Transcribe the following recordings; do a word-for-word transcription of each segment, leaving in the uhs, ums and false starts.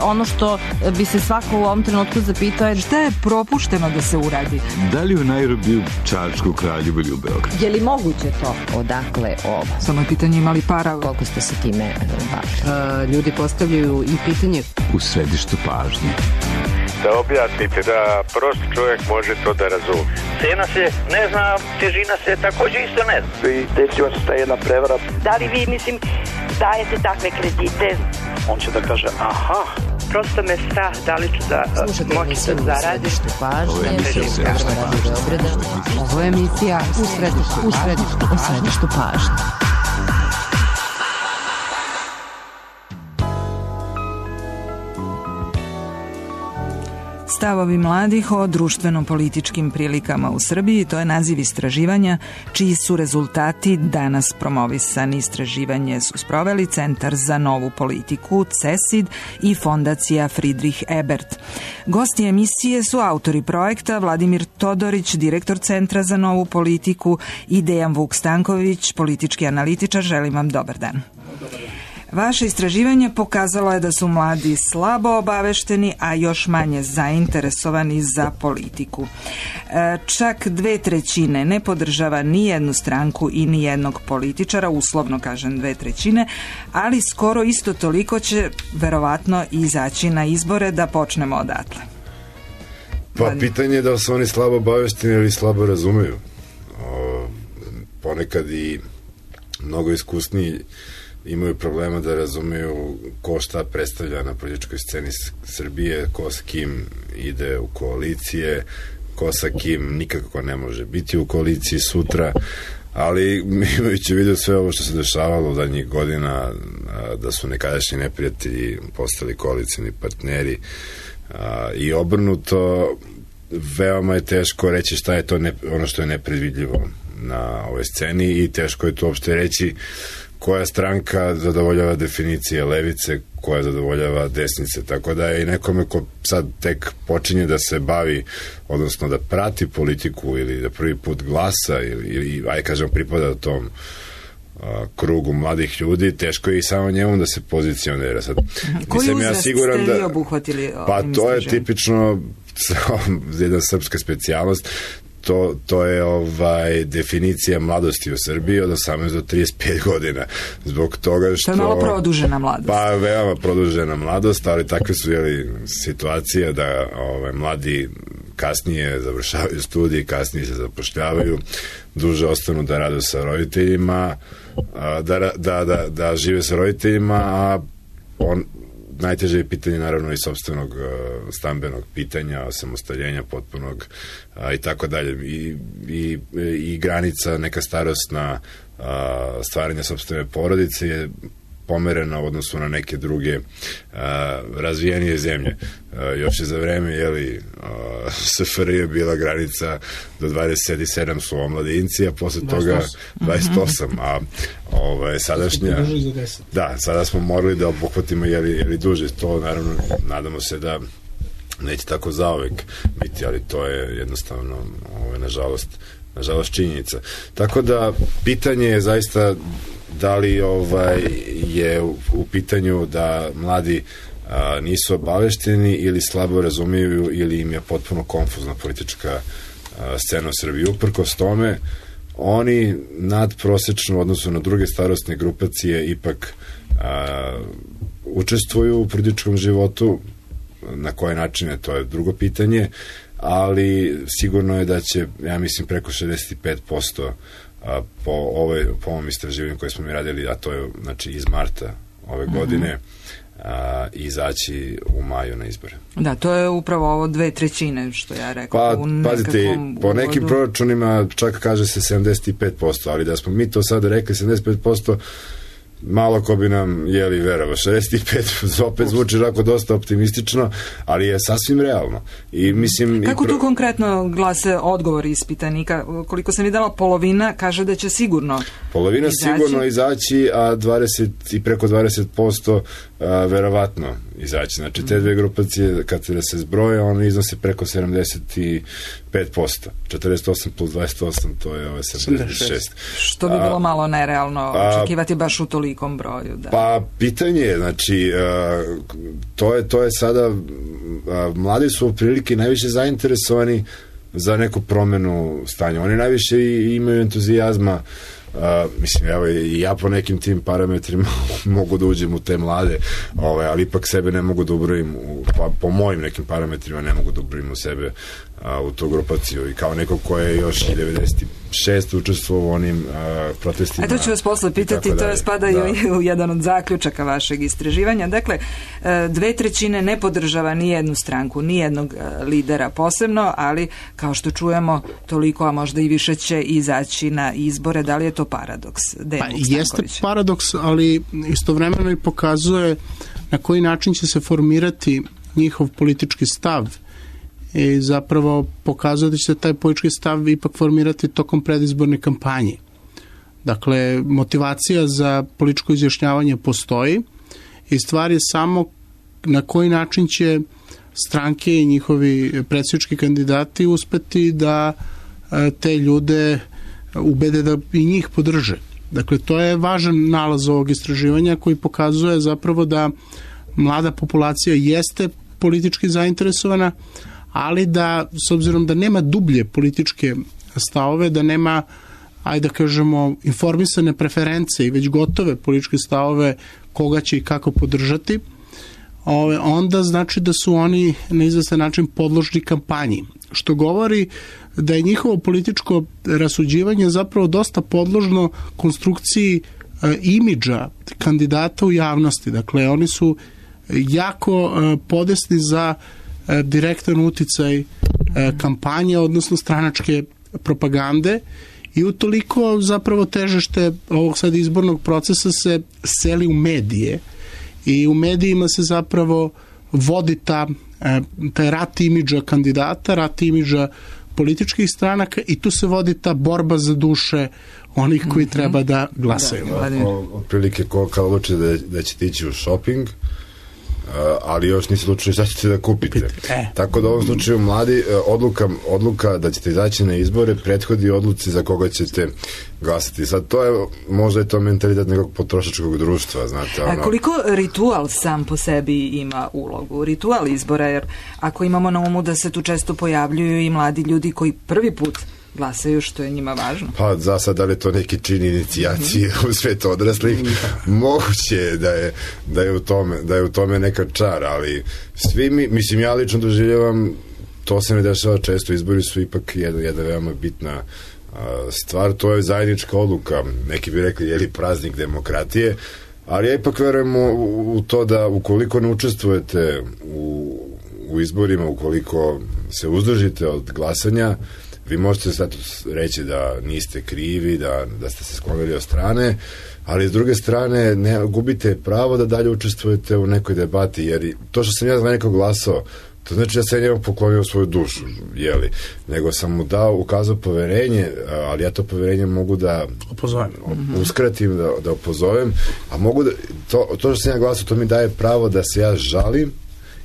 ono što bi se svako u ovom trenutku zapitao je šta je propušteno da se uradi? Da li u Nairobiju, Čačku, Kraljevu ili u Beogradu? Je li moguće to? Odakle ovo? Samo je pitanje imali para. Koliko ste se time bavili? Ljudi postavljaju i pitanje u središtu pažnje. Da objasnite, da prosti čovjek može to da razumije. Cena se ne zna, težina se također isto ne zna. I desila se ta jedna prevara. Da li vi, mislim, dajete takve kredite? On će da kaže, aha, prosto me strah da li ću da moći da zaradim. Ovo je emisija u središtu pažnje. Ovo je emisija u središtu, u središtu, u središtu pažnje. Stavovi mladih o društveno-političkim prilikama u Srbiji, to je naziv istraživanja čiji su rezultati danas promovisani. Istraživanje su sproveli Centar za novu politiku, CESID i Fondacija Friedrich Ebert. Gosti emisije su autori projekta Vladimir Todorić, direktor Centra za novu politiku, i Dejan Vuk Stanković, politički analitičar. Želim vam dobar dan. Vaše istraživanje pokazalo je da su mladi slabo obavešteni, a još manje zainteresovani za politiku. E, čak dve trećine ne podržava ni jednu stranku i ni jednog političara, uslovno kažem dve trećine, ali skoro isto toliko će verovatno izaći na izbore. Da počnemo odatle. Pa pitanje je da su oni slabo obavešteni ili slabo razumeju. O, ponekad i mnogo iskusniji imaju problema da razumeju ko šta predstavlja na političkoj sceni Srbije, ko s kim ide u koalicije, ko sa kim nikako ne može biti u koaliciji sutra, ali imajući u vidu sve ovo što se dešavalo u zadnjih godina, da su nekadašnji neprijatelji postali koalicijni partneri i obrnuto, veoma je teško reći šta je to ne, ono što je nepredvidljivo na ovoj sceni i teško je to uopšte reći koja stranka zadovoljava definicije levice, koja zadovoljava desnice, tako da je i nekome ko sad tek počinje da se bavi, odnosno da prati politiku ili da prvi put glasa ili, ili aj kažem pripada tom a, krugu mladih ljudi, teško je i samo njemu da se pozicionira. Sad, koji uzrast ja siguran ste vi da, obuhvatili? Pa to je tipično jedna srpska specijalnost. To, to je ovaj definicija mladosti u Srbiji od osamnaest do trideset pet godina. Zbog toga što... To je malo produžena mladost. Pa veoma produžena mladost, ali takve su jeli, situacije da ovaj, mladi kasnije završavaju studije, kasnije se zapošljavaju, duže ostanu da rade sa roditeljima, da, da, da, da žive sa roditeljima, a on najteže je pitanje naravno i sopstvenog uh, stambenog pitanja, samostaljenja potpunog uh, i tako dalje. I, i, i granica neka starosna uh, stvaranja sopstvene porodice je pomerena u odnosu na neke druge uh, razvijenije zemlje. Uh, još je za vreme jeli, uh, S F R J bila granica do dvadeset sedam su omladinci, a posle toga dvadeset osam, a ovaj, sadašnja da, sada smo morali da obuhvatimo jeli, jeli duže, to naravno nadamo se da neće tako zauvek biti, ali to je jednostavno ovaj, nažalost, nažalost činjenica. Tako da pitanje je zaista da li ovaj, je u, u pitanju da mladi a, nisu obavešteni ili slabo razumiju ili im je potpuno konfuzna politička a, scena u Srbiji. Uprkos tome, oni nadprosečno u odnosu na druge starostne grupacije ipak a, učestvuju u političkom životu. Na koje načine, to je drugo pitanje, ali sigurno je da će, ja mislim, preko šezdeset pet posto a, po, ove, po ovom istraživanju koje smo mi radili, a to je znači iz marta ove godine, a, izaći u maju na izbore. Da, to je upravo ovo dve trećine, što ja rekao. Pa, pazite, po nekim uvodu proračunima čak kaže se sedamdeset pet posto, ali da smo mi to sada rekli sedamdeset pet posto, malo ko bi nam jeli verova. šezdeset pet opet zvuči rako dosta optimistično, ali je sasvim realno. I mislim, kako i pro... tu konkretno glase odgovor ispitanika? Koliko sam videla, polovina kaže da će sigurno Polovina izaći. sigurno izaći, a dvadeset i preko dvadeset posto a, verovatno izaći. Znači, te dve grupacije, kad se, se zbroje, one iznose preko sedamdeset pet posto. četrdeset osam plus dvadeset osam, to je ove sedamdeset šest. Što bi bilo malo nerealno očekivati baš u toliko. tolikom broju? Da? Pa pitanje je, znači to je, to je sada mladi su prilike najviše zainteresovani za neku promenu stanja. Oni najviše imaju entuzijazma. Uh, mislim, evo i ja po nekim tim parametrima mogu da uđem u te mlade, ovaj, ali ipak sebe ne mogu da ubrojim u, pa, po mojim nekim parametrima ne mogu da ubrojim u sebe uh, u tu grupaciju i kao neko ko je još i devedeset šest učestvovao u onim uh, protestima. A to ću vas posle pitati, to je spada da. u jedan od zaključaka vašeg istraživanja. Dakle, dve trećine ne podržava ni jednu stranku, ni jednog lidera posebno, ali kao što čujemo toliko, a možda i više će izaći na izbore. Da li je to paradoks? Pa, jeste paradoks, ali istovremeno i pokazuje na koji način će se formirati njihov politički stav i zapravo pokazuje da će se taj politički stav ipak formirati tokom predizborne kampanje. Dakle, motivacija za političko izjašnjavanje postoji i stvar je samo na koji način će stranke i njihovi predsjednički kandidati uspeti da te ljude ubede da i njih podrže. Dakle, to je važan nalaz ovog istraživanja koji pokazuje zapravo da mlada populacija jeste politički zainteresovana, ali da, s obzirom da nema dublje političke stavove, da nema, ajde da kažemo, informisane preference i već gotove političke stavove koga će i kako podržati, onda znači da su oni na izvestan način podložni kampanji. Što govori da je njihovo političko rasuđivanje zapravo dosta podložno konstrukciji imidža kandidata u javnosti. Dakle, oni su jako podesni za direktan uticaj kampanje, odnosno stranačke propagande i utoliko zapravo težište ovog sad izbornog procesa se seli u medije i u medijima se zapravo vodi ta, taj rat imidža kandidata, rat imidža političkih stranaka i tu se vodi ta borba za duše onih koji treba da glasaju. Otprilike ko kao odluče da, da ćete ići u shopping, ali još niste odlučili šta ćete da kupite. E. Tako da u ovom slučaju mladi odluka, odluka da ćete izaći na izbore prethodi odluci za koga ćete glasati. Sad to je, možda je to mentalitet nekog potrošačkog društva, znate. Ono. A koliko ritual sam po sebi ima ulogu? Ritual izbora, jer ako imamo na umu da se tu često pojavljuju i mladi ljudi koji prvi put glasaju, što je njima važno. Pa za sad, da li je to neki čin inicijacije mm-hmm. u svijetu odraslih, mm-hmm. moguće je da je, da je u tome, da je u tome neka čar, ali svi mi, mislim, ja lično doživljavam, to se ne dešava često, izbori su ipak jedna, jedna veoma bitna a, stvar, to je zajednička odluka, neki bi rekli, je li praznik demokratije, ali ja ipak verujem u, u to da ukoliko ne učestvujete u, u izborima, ukoliko se uzdržite od glasanja, vi možete sad reći da niste krivi, da, da ste se sklonili od strane, ali s druge strane ne gubite pravo da dalje učestvujete u nekoj debati, jer to što sam ja za nekog glasao, to znači da sam njemu poklonio svoju dušu, jeli, nego sam mu dao, ukazao poverenje, ali ja to poverenje mogu da opozovem. uskratim, da, da opozovem, a mogu da, to, to što sam ja glasao, to mi daje pravo da se ja žalim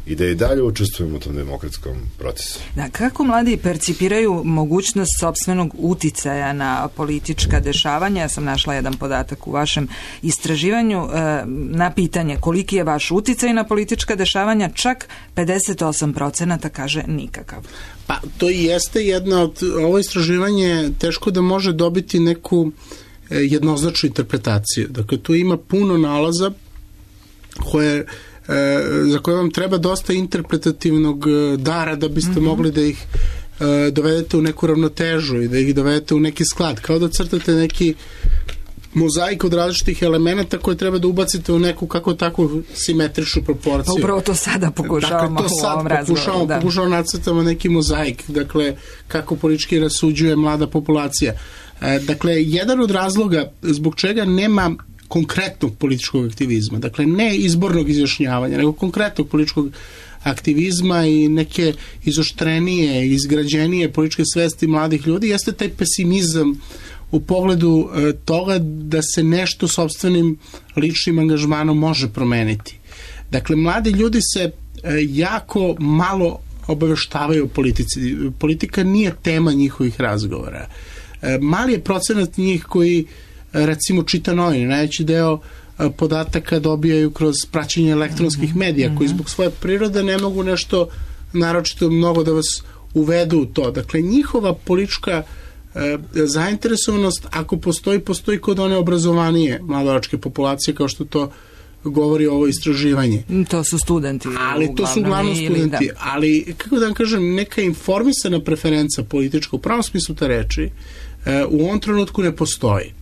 i da i dalje učestvujem u tom demokratskom procesu. Da, kako mladi percipiraju mogućnost sopstvenog uticaja na politička dešavanja? Ja sam našla jedan podatak u vašem istraživanju na pitanje koliki je vaš uticaj na politička dešavanja, čak pedeset osam procenata kaže nikakav. Pa to i jeste jedna od, ovo istraživanje teško da može dobiti neku jednoznačnu interpretaciju. Dakle, tu ima puno nalaza koje za koje vam treba dosta interpretativnog dara da biste mm-hmm. mogli da ih uh, dovedete u neku ravnotežu i da ih dovedete u neki sklad. Kao da crtate neki mozaik od različitih elemenata koje treba da ubacite u neku kako takvu simetričnu proporciju. Pa upravo to sada pokušavamo dakle, to u ovom sad pokušavamo, da. pokušavamo nacrtamo neki mozaik, dakle kako politički rasuđuje mlada populacija. E, dakle, jedan od razloga zbog čega nema konkretnog političkog aktivizma, dakle ne izbornog izjašnjavanja, nego konkretnog političkog aktivizma i neke izoštrenije, izgrađenije političke svesti mladih ljudi, jeste taj pesimizam u pogledu e, toga da se nešto sopstvenim ličnim angažmanom može promeniti. Dakle, mladi ljudi se e, jako malo obaveštavaju o politici. Politika nije tema njihovih razgovora. E, mali je procenat njih koji recimo čita novine, najveći deo podataka dobijaju kroz praćenje elektronskih medija, koji zbog svoje prirode ne mogu nešto naročito mnogo da vas uvedu u to. Dakle, njihova politička e, zainteresovanost, ako postoji, postoji kod one obrazovanije mladoračke populacije, kao što to govori ovo istraživanje. To su studenti. Ali to su uglavnom studenti. Da. Ali, kako da vam kažem, neka informisana preferenca politička, u pravom smislu te reči, e, u ovom trenutku ne postoji.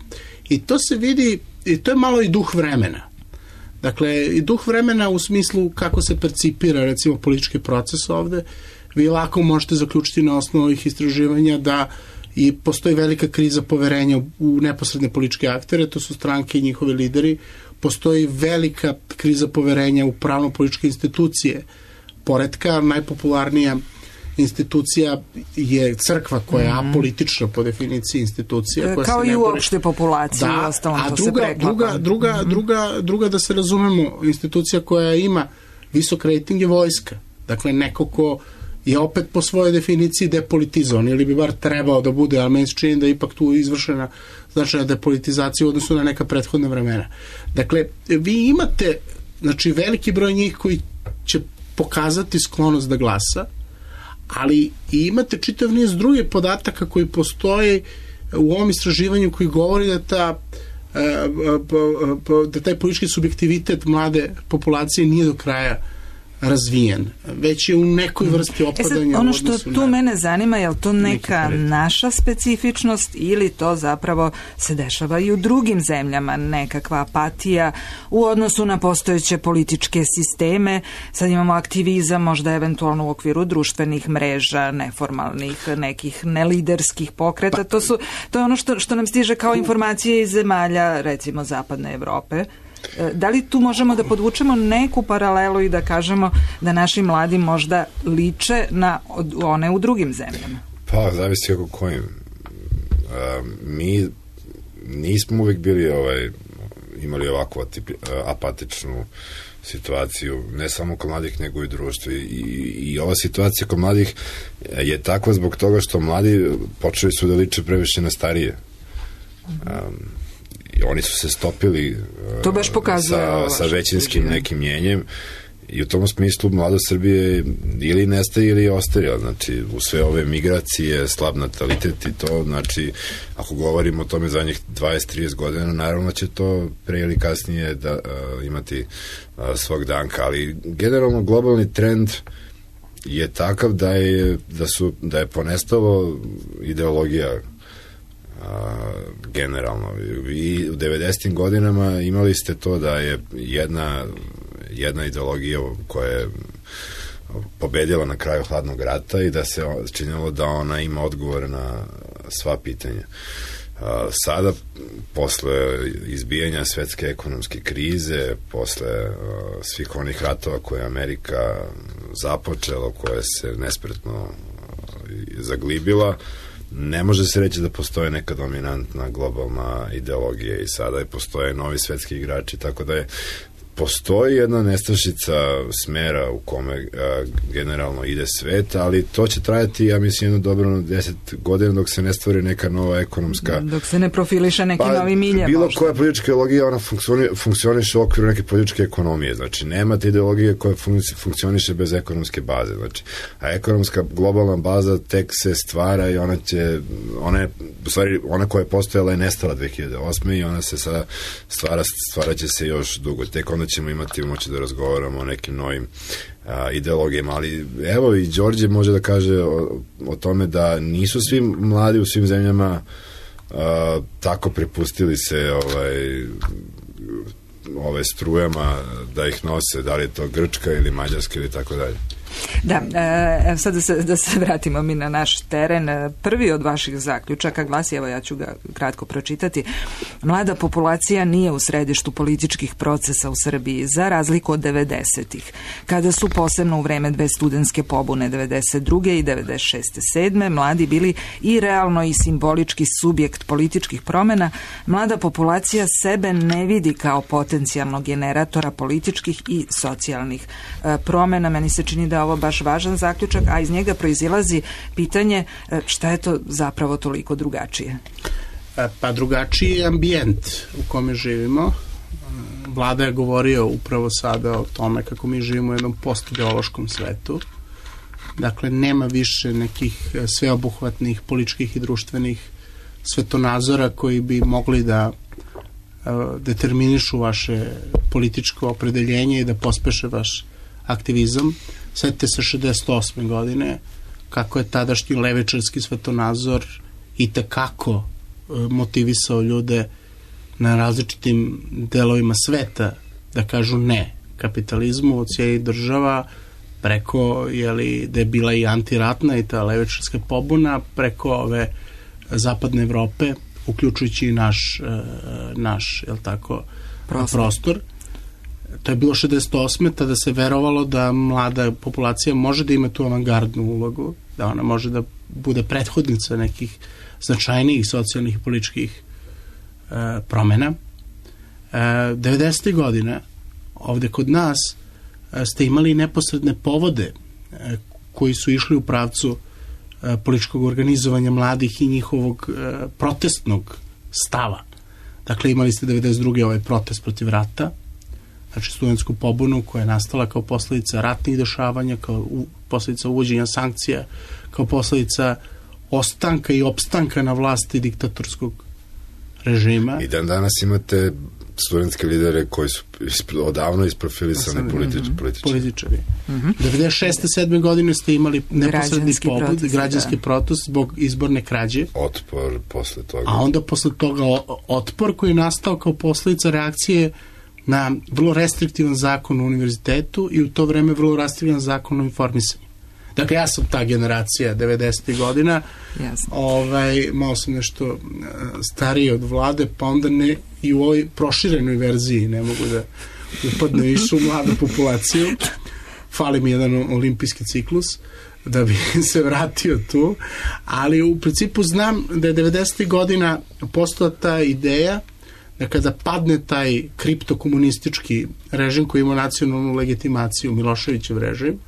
I to se vidi, i to je malo i duh vremena. Dakle, i duh vremena u smislu kako se percipira, recimo, politički proces ovde. Vi lako možete zaključiti na osnovu ovih istraživanja da i postoji velika kriza poverenja u neposredne političke aktere, to su stranke i njihovi lideri. Postoji velika kriza poverenja u pravno-političke institucije poretka. Najpopularnija institucija je crkva koja je apolitična po definiciji institucija. Koja kao se i uopšte populacije, da, u ostalom to druga, se preklapa. Druga, druga, mm-hmm. druga, druga, da se razumemo, institucija koja ima visok rating je vojska. Dakle, neko ko je opet po svojoj definiciji depolitizovan, ili bi bar trebao da bude, ali meni se čini da je ipak tu izvršena značajna depolitizacija u odnosu na neka prethodna vremena. Dakle, vi imate, znači, veliki broj njih koji će pokazati sklonost da glasa, ali i imate čitav niz drugih podataka koji postoje u ovom istraživanju koji govori da ta da taj politički subjektivitet mlade populacije nije do kraja razvijen, već je u nekoj vrsti opadanja. E sad, ono što tu na... mene zanima, je li to neka naša specifičnost ili to zapravo se dešava i u drugim zemljama, nekakva apatija u odnosu na postojeće političke sisteme. Sad imamo aktivizam, možda eventualno u okviru društvenih mreža, neformalnih, nekih neliderskih pokreta. Pa, to, su, to je ono što, što nam stiže kao informacije iz zemalja, recimo Zapadne Evrope. Da li tu možemo da podvučemo neku paralelu i da kažemo da naši mladi možda liče na one u drugim zemljama? Pa, zavisi kako kojim. A, mi nismo uvek bili ovaj, imali ovakvu atipi, apatičnu situaciju, ne samo kod mladih, nego i društvu. I, i ova situacija kod mladih je takva zbog toga što mladi počeli su da liče previše na starije. Um, i oni su se stopili to baš pokazuje sa, sa većinskim nekim mjenjem i u tom smislu mladost Srbije ili nestaje ili ostaje, znači u sve ove migracije, slab natalitet i to, znači ako govorimo o tome zadnjih dvadeset do trideset godina, naravno će to pre ili kasnije da, uh, imati uh, svog danka, ali generalno globalni trend je takav da je, da su, da je ponestalo ideologija a, generalno. I u devedesetim godinama imali ste to da je jedna, jedna ideologija koja je pobedila na kraju hladnog rata i da se činilo da ona ima odgovor na sva pitanja. A, sada, posle izbijanja svetske ekonomske krize, posle a, svih onih ratova koje je Amerika započela, koje se nespretno zaglibila, ne može se reći da postoje neka dominantna globalna ideologija i sada je postoje novi svetski igrači, tako da je postoji jedna nestašica smera u kome a, generalno ide svet, ali to će trajati, ja mislim, jedno dobro deset godina dok se ne stvori neka nova ekonomska... Dok se ne profiliše neki pa, novi milje. Bilo možda. koja politička ideologija, ona funkcioni, funkcioniše u okviru neke političke ekonomije. Znači, nemate ideologije koja funkcioniše bez ekonomske baze. Znači, a ekonomska globalna baza tek se stvara i ona će, ona je, u stvari, ona koja je postojala je nestala dve hiljade osme i ona se sada stvara, stvara će se još dugo. Tek onda ćemo imati moći da razgovaramo o nekim novim a, ideologijama, ali evo i Đorđe može da kaže o, o tome da nisu svi mladi u svim zemljama a, tako prepustili se ovaj, ove strujama da ih nose, da li je to Grčka ili Mađarska ili tako dalje. Da, e, sad da se, da se vratimo mi na naš teren. Prvi od vaših zaključaka glasi, evo ja ću ga kratko pročitati: mlada populacija nije u središtu političkih procesa u Srbiji, za razliku od devedesetih, kada su posebno u vreme dve studentske pobune devedeset druge i devedeset šeste sedme mladi bili i realno i simbolički subjekt političkih promena. Mlada populacija sebe ne vidi kao potencijalnog generatora političkih i socijalnih e, promena. Meni se čini da je ovo baš važan zaključak, a iz njega proizilazi pitanje šta je to zapravo toliko drugačije? Pa drugačiji je ambijent u kome živimo. Vlada je govorio upravo sada o tome kako mi živimo u jednom postideološkom svetu. Dakle, nema više nekih sveobuhvatnih političkih i društvenih svetonazora koji bi mogli da uh, determinišu vaše političko opredeljenje i da pospeše vaš aktivizam. Sjetite se šezdeset osme godine kako je tadašnji levičarski svetonazor i tekako uh, motivisao ljude na različitim delovima sveta da kažu ne kapitalizmu od cijelih država, preko, jeli, da je bila i antiratna i ta levičarska pobuna, preko ove zapadne Evrope, uključujući i naš, naš jel tako, prostor. prostor. To je bilo šezdeset osme tada se verovalo da mlada populacija može da ima tu avangardnu ulogu, da ona može da bude prethodnica nekih značajnijih socijalnih i političkih e, promena. E, devedesetih godina ovde kod nas e, ste imali neposredne povode e, koji su išli u pravcu e, političkog organizovanja mladih i njihovog e, protestnog stava. Dakle, imali ste devedeset druge ovaj protest protiv rata, znači studentsku pobunu koja je nastala kao posledica ratnih dešavanja, kao u, posledica uvođenja sankcija, kao posledica ostanka i opstanka na vlasti diktatorskog režima. I dan danas imate studentske lidere koji su odavno isprofilisani politič, mm-hmm. političari. političari. Mm-hmm. devedeset šeste sedme godine ste imali neposredni pobud, građanski da. protest zbog izborne krađe. Otpor posle toga. A onda posle toga otpor koji je nastao kao posledica reakcije na vrlo restriktivan zakon u univerzitetu i u to vreme vrlo restriktivan zakon o informisanju. Dakle, ja sam ta generacija devedesetih godina, Jasno. ovaj, malo sam nešto stariji od Vlade, pa onda ne, i u ovoj proširenoj verziji ne mogu da upadne više u mladu populaciju. Fali mi jedan olimpijski ciklus da bi se vratio tu, ali u principu znam da je devedesetih godina postala ta ideja da kada padne taj kriptokomunistički režim koji ima nacionalnu legitimaciju, Miloševićev režim,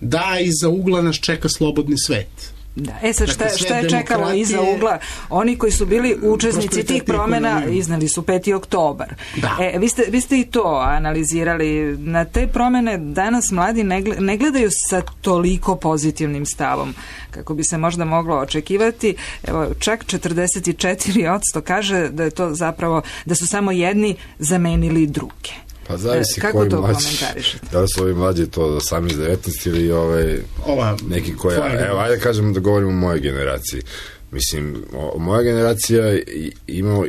da iza ugla nas čeka slobodni svet. Da. E sad, šta, šta je čekalo iza ugla? Oni koji su bili učesnici tih promjena iznali su peti oktobar. Da. E, vi, ste, vi ste i to analizirali. Na te promjene danas mladi ne gledaju sa toliko pozitivnim stavom kako bi se možda moglo očekivati. Evo, čak četrdeset četiri posto kaže da je to zapravo, da su samo jedni zamenili druge. Pa zavisi kako koji to mlađi, komentarišete? Da li su ovi mlađi to osamnaest devetnaest ili ovaj, Ova, neki koja, evo, ajde kažem da govorimo o mojoj generaciji. Mislim, o, moja generacija ima,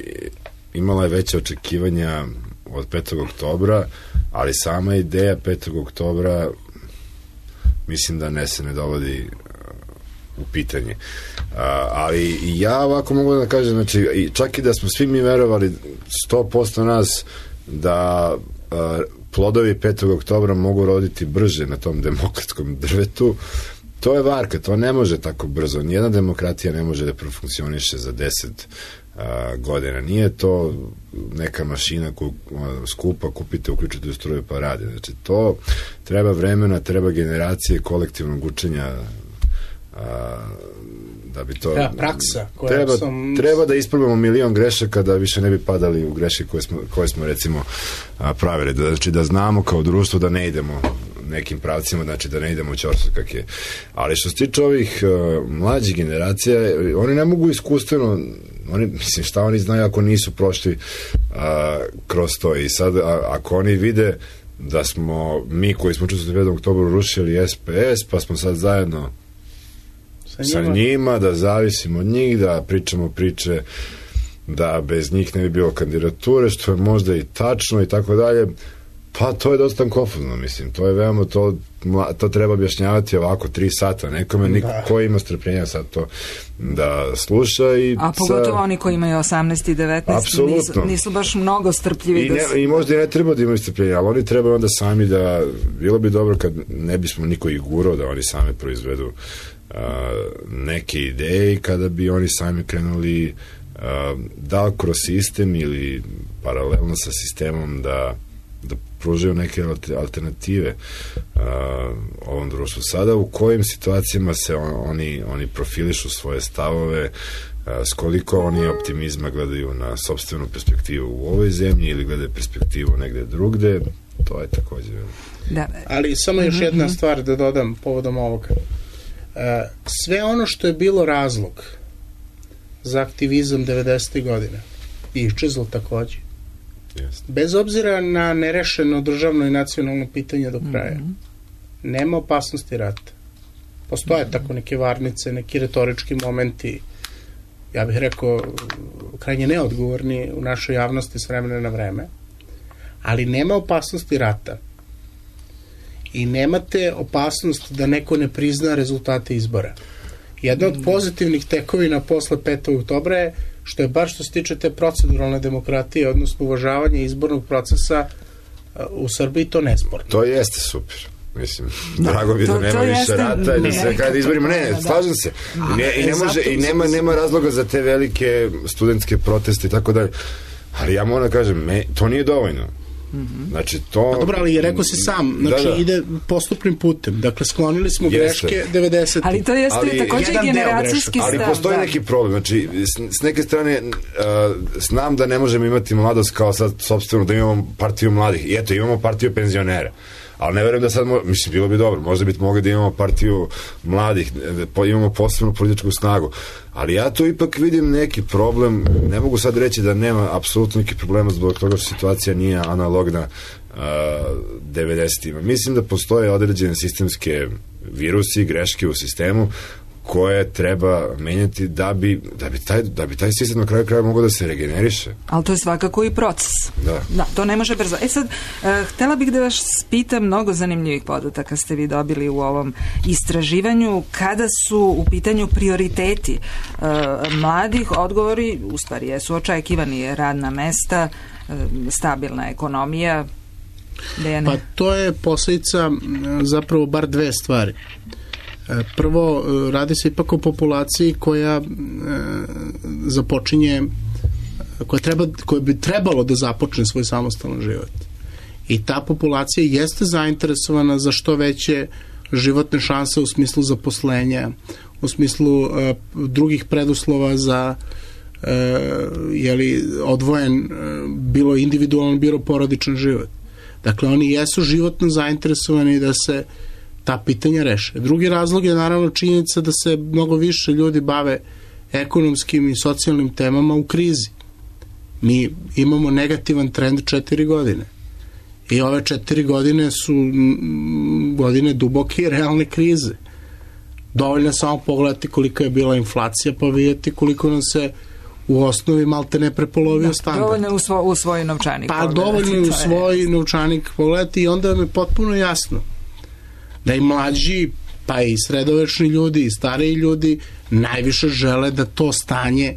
imala je veće očekivanja od petog oktobra, ali sama ideja petog oktobra mislim da ne se ne dovodi u pitanje. A, ali ja ovako mogu da kažem, znači, čak i da smo svi mi verovali sto posto nas da a, plodovi petog oktobra mogu roditi brže na tom demokratskom drvetu, to je varka, to ne može tako brzo. Nijedna demokratija ne može da profunkcioniše za deset a, godina. Nije to neka mašina koju a, skupa, kupite, uključite u struju pa radi. Znači, to treba vremena, treba generacije kolektivnog učenja a, da bi to... Ja, praksa. Koja treba, sam... treba da isprobamo milion grešaka da više ne bi padali u greške koje smo, koje smo recimo a, pravili. Da, znači da znamo kao društvo da ne idemo nekim pravcima, znači da ne idemo u ćorsokak je. Ali što se tiče ovih uh, mlađih generacija, oni ne mogu iskustveno, oni, mislim, šta oni znaju ako nisu prošli uh, kroz to. I sad, a, ako oni vide da smo mi koji smo učestvovali u petog oktobru rušili S P S, pa smo sad zajedno sa njima. sa njima, da zavisimo od njih, da pričamo priče da bez njih ne bi bilo kandidature, što je možda i tačno i tako dalje. Pa to je dosta konfuzno, mislim, to je veoma, to, to treba objašnjavati ovako tri sata, nekome, niko ko ima strpljenja sad to da sluša. I a pogotovo sa... oni koji imaju osamnaest i devetnaest nisu, nisu baš mnogo strpljivi. I, da ne, su... I možda i ne treba da imaju strpljenja, ali oni trebaju onda sami da, bilo bi dobro kad ne bismo niko ih gurao da oni sami proizvedu uh, neke ideje i kada bi oni sami krenuli uh, da kroz sistem ili paralelno sa sistemom da da pružaju neke alternative uh, ovom društvu. Sada u kojim situacijama se on, oni, oni profilišu svoje stavove, uh, s koliko oni optimizma gledaju na sopstvenu perspektivu u ovoj zemlji ili gledaju perspektivu negde drugde, to je takođe. Da. Ali samo još jedna stvar da dodam povodom ovoga. Sve ono što je bilo razlog za aktivizam devedesetih godina iščezlo takođe. Yes. Bez obzira na nerešeno državno i nacionalno pitanje do kraja. Mm-hmm. Nema opasnosti rata. Postoje mm-hmm. tako neke varnice, neki retorički momenti, ja bih rekao, krajnje neodgovorni u našoj javnosti s vremena na vreme, ali nema opasnosti rata. I nemate opasnost da neko ne prizna rezultate izbora. Jedna od pozitivnih tekovina posle petog oktobra je što je baš što se tiče te proceduralne demokratije, odnosno uvažavanje izbornog procesa u Srbiji, to nesporno. To jeste super. Mislim, drago bi da nema više rata i da se kada izborimo, ne, slažem se. I ne može, i nema, nema razloga za te velike studentske proteste i tako dalje. Ali ja moram da kažem, to nije dovoljno. Znači to... Pa dobro, ali rekao si sam, znači da, da. ide postupnim putem. Dakle, sklonili smo jeste. greške devedesetih. Ali to jeste ali, takođe generacijski stav. Ali postoji da. neki problem. Znači, s, s neke strane uh, znam da ne možemo imati mladost kao sad sopstveno da imamo partiju mladih. I eto, imamo partiju penzionera. Ali ne verujem da sad, mo, mislim, bilo bi dobro, možda bi mogli da imamo partiju mladih, da imamo posebnu političku snagu, ali ja tu ipak vidim neki problem, ne mogu sad reći da nema apsolutno neki problema zbog toga što situacija nije analogna uh, devedesetima. Mislim da postoje određene sistemske virusi, greške u sistemu koje treba menjati da bi, da bi, taj, da bi taj sistem na kraju kraja mogao da se regeneriše. Ali to je svakako i proces. Da. Da, to ne može brzo. E sad, uh, htela bih da vas pitam, mnogo zanimljivih podataka ste vi dobili u ovom istraživanju. Kada su u pitanju prioriteti uh, mladih, odgovori, u stvari jesu očekivani, radna mesta, uh, stabilna ekonomija. Pa to je posledica zapravo bar dve stvari. Prvo, radi se ipak o populaciji koja e, započinje, koja, treba, koja bi trebalo da započne svoj samostalan život. I ta populacija jeste zainteresovana za što veće životne šanse u smislu zaposlenja, u smislu e, drugih preduslova za e, jeli, odvojen, e, bilo individualan, bilo porodičan život. Dakle, oni jesu životno zainteresovani da se ta pitanja reše. Drugi razlog je naravno činjenica da se mnogo više ljudi bave ekonomskim i socijalnim temama u krizi. Mi imamo negativan trend četiri godine. I ove četiri godine su godine duboke i realne krize. Dovoljno samo pogledati kolika je bila inflacija, pa vidjeti koliko nam se u osnovi malte ne prepolovio da, standard. Dovoljno u, svo, u svoj novčanik pa pogledati. Pa dovoljno u svoj je. novčanik pogledati i onda vam je potpuno jasno da i mlađi, pa i sredovečni ljudi i stariji ljudi najviše žele da to stanje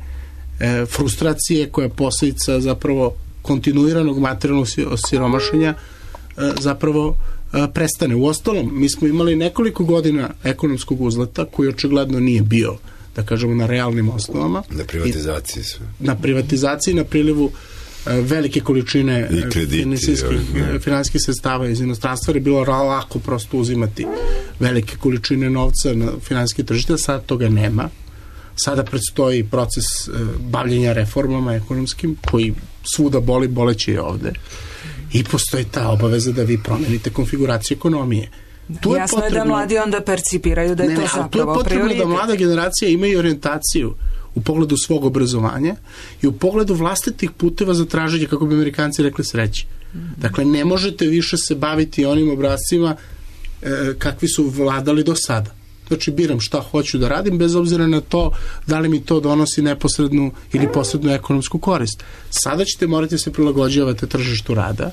e, frustracije koja je posljedica zapravo kontinuiranog materijalnog osiromašenja e, zapravo e, prestane. U ostalom, mi smo imali nekoliko godina ekonomskog uzleta koji očigledno nije bio, da kažemo, na realnim osnovama. Na privatizaciji sve. Na privatizaciji, na prilivu velike količine finansijskih sredstava iz inostranstva, je bilo lako prosto uzimati velike količine novca na finansijske tržište, sada toga nema. Sada predstoji proces bavljenja reformama ekonomskim, koji svuda boli, boleće je ovde. I postoji ta obaveza da vi promenite konfiguraciju ekonomije. Tu Jasno je, potrebno, je da mladi onda percipiraju da je ne, to ne, zapravo prioritet. Tu je potrebno prioritet. Da mlada generacija ima i orijentaciju u pogledu svog obrazovanja i u pogledu vlastitih puteva za traženje, kako bi Amerikanci rekli, sreće. Mm-hmm. Dakle, ne možete više se baviti onim obrazcima e, kakvi su vladali do sada. Znači, biram šta hoću da radim, bez obzira na to da li mi to donosi neposrednu ili posrednu ekonomsku korist. Sada ćete morati se prilagođavati tržištu rada,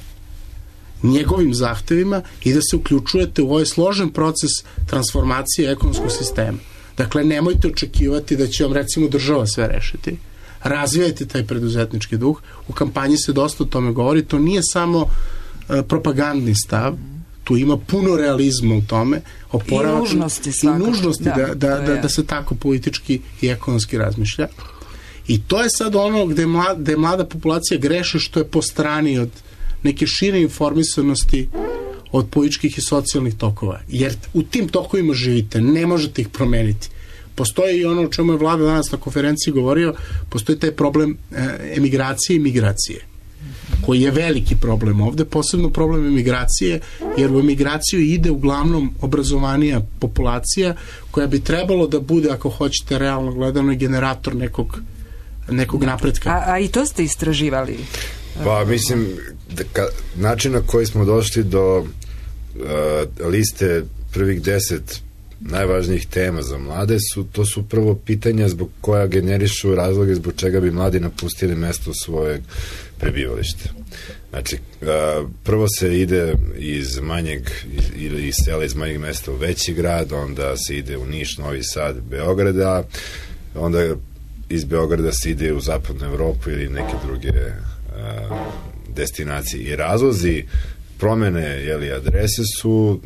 njegovim zahtevima i da se uključujete u ovaj složen proces transformacije ekonomskog sistema. Dakle, nemojte očekivati da će vam, recimo, država sve rešiti. Razvijajte taj preduzetnički duh. U kampanji se dosta o tome govori. To nije samo uh, propagandni stav. Tu ima puno realizma u tome. Oporavak, I nužnosti svakako. I nužnosti da, da, da, da, da se tako politički i ekonomski razmišlja. I to je sad ono gde, mlad, gde mlada populacija greše, što je po strani od neke šire informisanosti od političkih i socijalnih tokova. Jer u tim tokovima živite, ne možete ih promeniti. postoji i ono o čemu je vlada danas na konferenciji govorio, postoji taj problem e, emigracije i migracije, koji je veliki problem ovde, posebno problem emigracije, jer u emigraciju ide uglavnom obrazovanija populacija koja bi trebalo da bude, ako hoćete realno gledano, generator nekog, nekog napretka. A, a i to ste istraživali? Pa mislim, da ka, način na koji smo došli do uh, liste prvih deset najvažnijih tema za mlade su, to su prvo pitanja zbog koja generišu razloge zbog čega bi mladi napustili mesto svojeg prebivališta. Znači, prvo se ide iz manjeg ili iz sela, iz manjeg mesta u veći grad, onda se ide u Niš, Novi Sad, Beograda, onda iz Beograda se ide u zapadnu Evropu ili neke druge destinacije. I razlozi promene, jeli, adrese su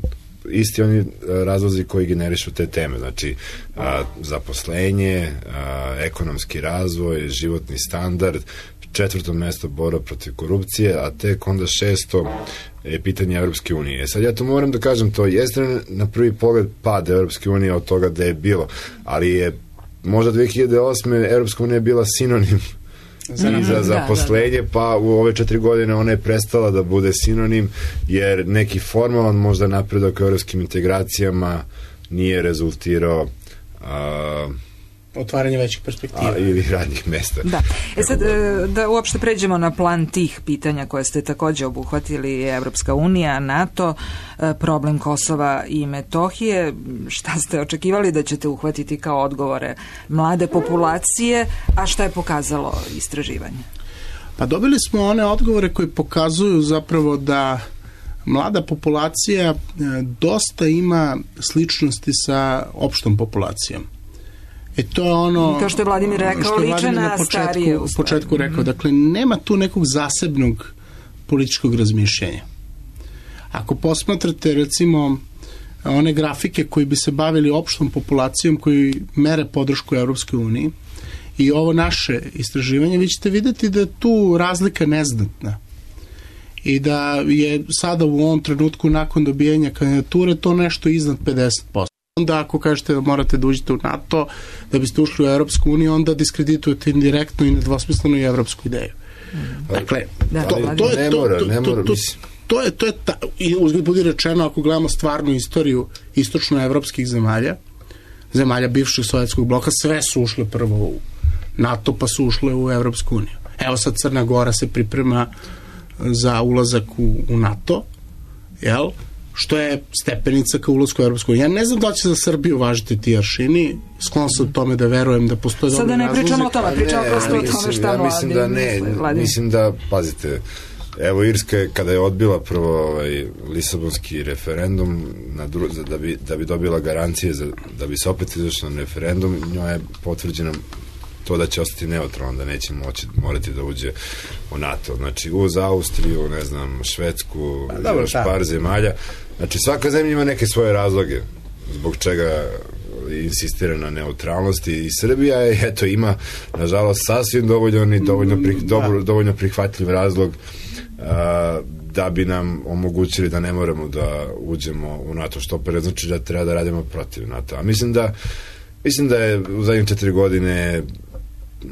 isti oni razlozi koji generišu te teme, znači a, zaposlenje, a, ekonomski razvoj, životni standard, četvrto mesto borba protiv korupcije, a tek onda šesto je pitanje Evropske unije. E sad ja to moram da kažem, to jeste na prvi pogled pad Evropske unije od toga da je bilo, ali je možda dve hiljade osme Evropska unija bila sinonim za, i za zaposlenje, pa u ove četiri godine ona je prestala da bude sinonim, jer neki formalan možda napredak u evropskim integracijama nije rezultirao a, otvaranje većih perspektiva. A, ili radnih mesta. Da. E sad, da uopšte pređemo na plan tih pitanja koje ste takođe obuhvatili, Evropska unija, NATO, problem Kosova i Metohije. Šta ste očekivali da ćete uhvatiti kao odgovore mlade populacije, a šta je pokazalo istraživanje? Pa dobili smo one odgovore koji pokazuju zapravo da mlada populacija dosta ima sličnosti sa opštom populacijom. E to je ono... To što je Vladimir rekao, liče na starije. U početku rekao, dakle, nema tu nekog zasebnog političkog razmišljenja. Ako posmatrate, recimo, one grafike koji bi se bavili opštom populacijom, koji mere podršku Evropskoj uniji, i ovo naše istraživanje, vi ćete videti da je tu razlika neznatna. I da je sada u ovom trenutku, nakon dobijanja kandidature, to nešto iznad pedeset posto. Onda ako kažete da morate da uđete u NATO, da biste ušli u Evropsku uniju, onda diskreditujete indirektno i nedvosmisleno i evropsku ideju. Dakle, to, to je to, to, to, to, to je, to je ta, i uzgled budi rečeno, ako gledamo stvarnu istoriju istočnoevropskih zemalja, zemalja bivšeg sovjetskog bloka, sve su ušle prvo u NATO, pa su ušle u Evropsku uniju. Evo sad Crna Gora se priprema za ulazak u, u NATO, jel? Što je stepenica ka ulasku u Evropsku uniju. Ja ne znam da će za Srbiju važiti ti aršini, sklon sam tome da verujem da postoje dobri razlozi. Sada ne pričamo o tome, pričamo prosto o tome šta ja mislim da ne, misle, mislim da, pazite, evo Irska je, kada je odbila prvo ovaj, Lisabonski referendum na dru, da, bi, da bi dobila garancije za, da bi se opet izašla na referendum, njoj je potvrđeno to da će ostati neutralno, da neće moći, morati da uđe u NATO. Znači, uz Austriju, ne znam, Švedsku, pa, dobro, par zemalja. Znači, svaka zemlja ima neke svoje razloge zbog čega insistira na neutralnosti i Srbija je, eto, ima, nažalost, sasvim dovoljno i dovoljno, pri, dobro, dovoljno prihvatljiv razlog a, da bi nam omogućili da ne moramo da uđemo u NATO, što opet znači da treba da radimo protiv NATO. A mislim da Mislim da je u zadnjih četiri godine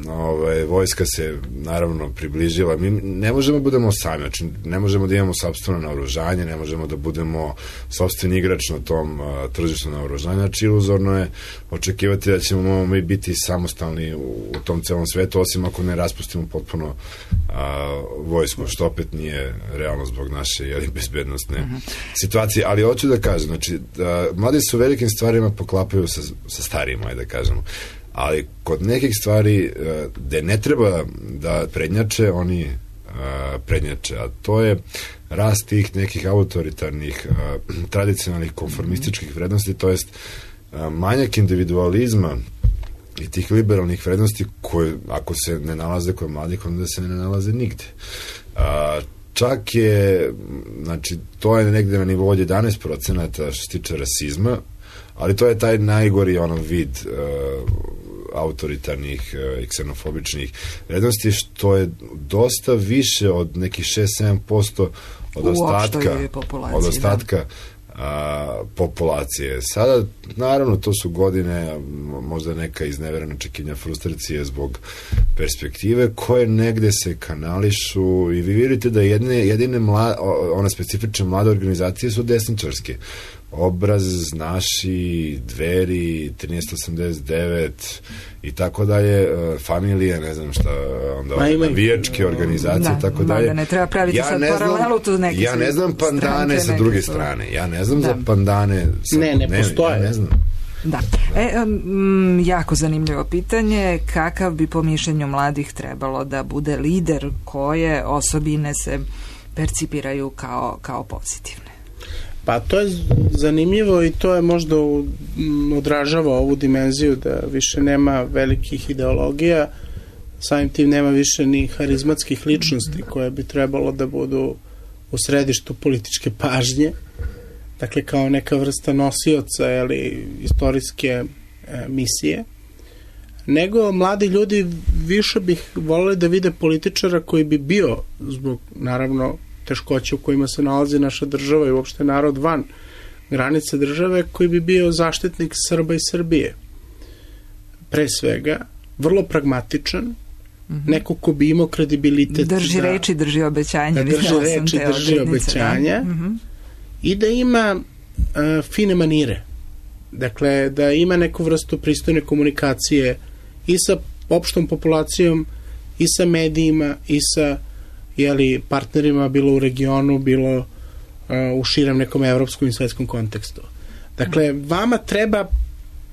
ovaj, vojska se naravno približila. Mi ne možemo da budemo sami, znači ne možemo da imamo sopstveno naoružanje, ne možemo da budemo sopstveni igrač na tom uh, tržištu naoružanja, znači iluzorno je očekivati da ćemo mi biti samostalni u, u tom celom svetu, osim ako ne raspustimo potpuno uh, vojsku, što opet nije realno zbog naše jeli, bezbednostne uh -huh. situacije, ali hoću da kažem, znači, da, mladi su velikim stvarima poklapaju sa, sa starijima, ajde da kažemo, ali kod nekih stvari uh, gde ne treba da prednjače, oni uh, prednjače, a to je rast tih nekih autoritarnih, uh, tradicionalnih konformističkih vrednosti, to jest uh, manjak individualizma i tih liberalnih vrednosti koje, ako se ne nalaze kod mladih, onda se ne nalaze nigde. Uh, čak je, znači, to je negde na nivou od jedanaest procenata što se tiče rasizma, ali to je taj najgori ono vid uh, autoritarnih uh, i ksenofobičnih vrednosti, što je dosta više od nekih šest do sedam posto od ostatka, od ostatka a, populacije. Sada, naravno, to su godine, možda neka izneverena očekivanja, frustracije zbog perspektive koje negde se kanališu i vi vidite da jedine, jedine mla, one specifične mlade organizacije su desničarske. Obraz, Naši, Dveri, trinaest osamdeset devet i tako dalje, familije, ne znam šta, onda navijačke organizacije, da, tako dalje. Da, ne treba praviti ja sad paralelu tu neki. Ja ne znam pandane sa druge strane. Ja ne znam da. za pandane. Sa, ne, ne, ne postoje. Ja ne znam. Da. E, um, jako zanimljivo pitanje, kakav bi po mišljenju mladih trebalo da bude lider, koje osobine se percipiraju kao, kao pozitivne? Pa to je zanimljivo i to je možda odražava ovu dimenziju da više nema velikih ideologija, samim tim nema više ni harizmatskih ličnosti koje bi trebalo da budu u središtu političke pažnje, dakle kao neka vrsta nosioca ili istorijske e, misije, nego mladi ljudi više bih voleli da vide političara koji bi bio, zbog naravno teškoće u kojima se nalazi naša država i uopšte narod van granice države, koji bi bio zaštitnik Srba i Srbije. Pre svega, vrlo pragmatičan, mm-hmm. neko ko bi imao kredibilitet. Drži da, reči, drži obećanja. Da drži reči, drži obećanja da? mm-hmm. i da ima uh, fine manire. Dakle, da ima neku vrstu pristojne komunikacije i sa opštom populacijom, i sa medijima, i sa jeli, partnerima, bilo u regionu, bilo uh, u širem nekom evropskom i svetskom kontekstu. Dakle, vama treba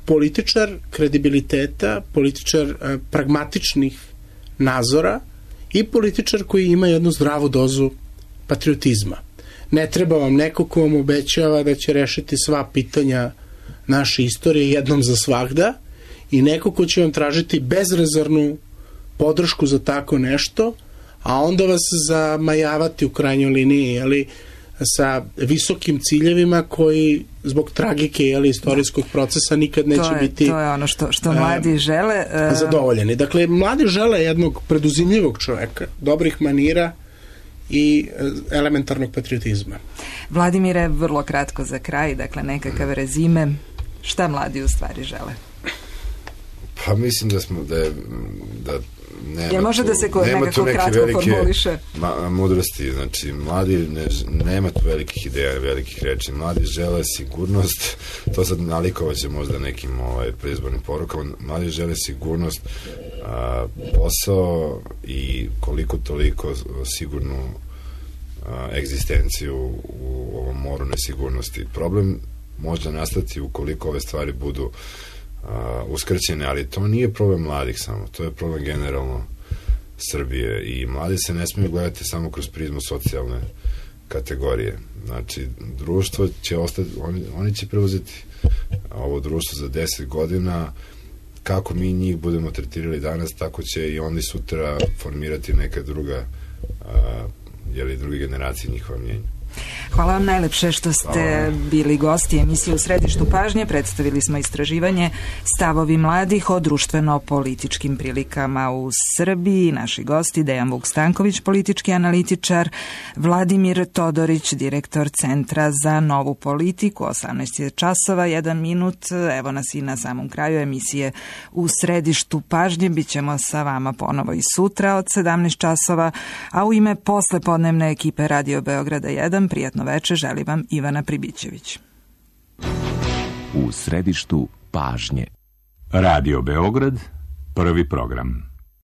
političar kredibiliteta, političar uh, pragmatičnih nazora i političar koji ima jednu zdravu dozu patriotizma. Ne treba vam neko ko vam obećava da će rešiti sva pitanja naše istorije jednom za svagda i neko ko će vam tražiti bezrezervnu podršku za tako nešto, a onda vas zamajavati u krajnjoj liniji, ali sa visokim ciljevima koji zbog tragike ili istorijskog procesa nikad neće to je, biti to je ono što, što mladi uh, žele uh, zadovoljeni. Dakle, mladi žele jednog preduzimljivog čoveka, dobrih manira i elementarnog patriotizma. Vladimire, vrlo kratko za kraj, dakle nekakav rezime, šta mladi u stvari žele? Pa mislim da smo da je da nema Jel može tu, da se ko, nema nekako tu neke kratko velike formuliše? Ma, mudrosti, znači mladi ne, nema tu velikih ideja, velikih reči, mladi žele sigurnost, to sad nalikovaće možda nekim ovaj, predizbornim porukama, mladi žele sigurnost, a, posao i koliko toliko sigurnu a, egzistenciju u ovom moru nesigurnosti. Problem može nastati ukoliko ove stvari budu Uh, uskrćene, ali to nije problem mladih samo, to je problem generalno Srbije i mladi se ne smiju gledati samo kroz prizmu socijalne kategorije. Znači, društvo će ostati, oni, oni će preuzeti ovo društvo za deset godina, kako mi njih budemo tretirali danas, tako će i oni sutra formirati neka druga uh, jeli druge generacije njihova mnjenja. Hvala vam najlepše što ste bili gosti emisije U središtu pažnje. Predstavili smo istraživanje Stavovi mladih o društveno-političkim prilikama u Srbiji. Naši gosti Dejan Vuk-Stanković, politički analitičar, Vladimir Todorić, direktor Centra za novu politiku. osamnaest je časova, jedan minut. Evo nas i na samom kraju emisije U središtu pažnje. Bićemo sa vama ponovo i sutra od sedamnaest časova, a u ime poslepodnevne ekipe Radio Beograda jedan prijatno veče želi vam Ivana Pribićević. U središtu pažnje. Radio Beograd, prvi program.